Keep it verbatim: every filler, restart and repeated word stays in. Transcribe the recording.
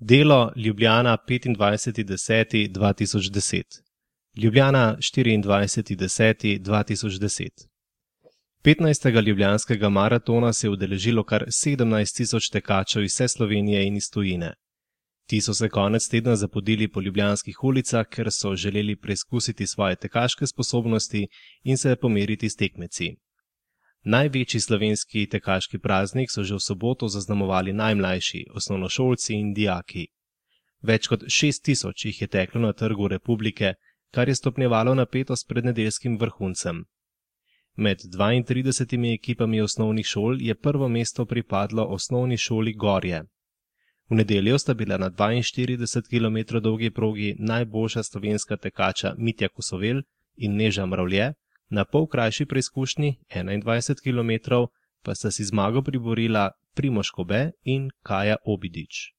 Delo Ljubljana petindvajseti deseti dva tisoč deset. Ljubljana štiriindvajseti deseti dva tisoč deset. petnajstega ljubljanskega maratona se je udeležilo kar sedemnajst tisoč tekačev iz vse Slovenije in iz tujine. Ti so se konec tedna zapodili po ljubljanskih ulicah, ker so želeli preizkusiti svoje tekaške sposobnosti in se pomeriti s tekmeci. Največji slovenski tekaški praznik so že v soboto zaznamovali najmlajši, osnovnošolci in dijaki. Več kot šest tisoč jih je teklo na Trgu Republike, kar je stopnjevalo napetost pred nedeljskim vrhuncem. Med dvaintridesetimi ekipami osnovnih šol je prvo mesto pripadlo osnovni šoli Gorje. V nedeljo sta bila na dvainštirideset kilometrov dolgi progi najboljša slovenska tekača Mitja Kosovel in Neža Mravlje, na pol krajši preizkušnji enaindvajset kilometrov pa sta si zmago priborila Primož Kobe in Kaja Obidič.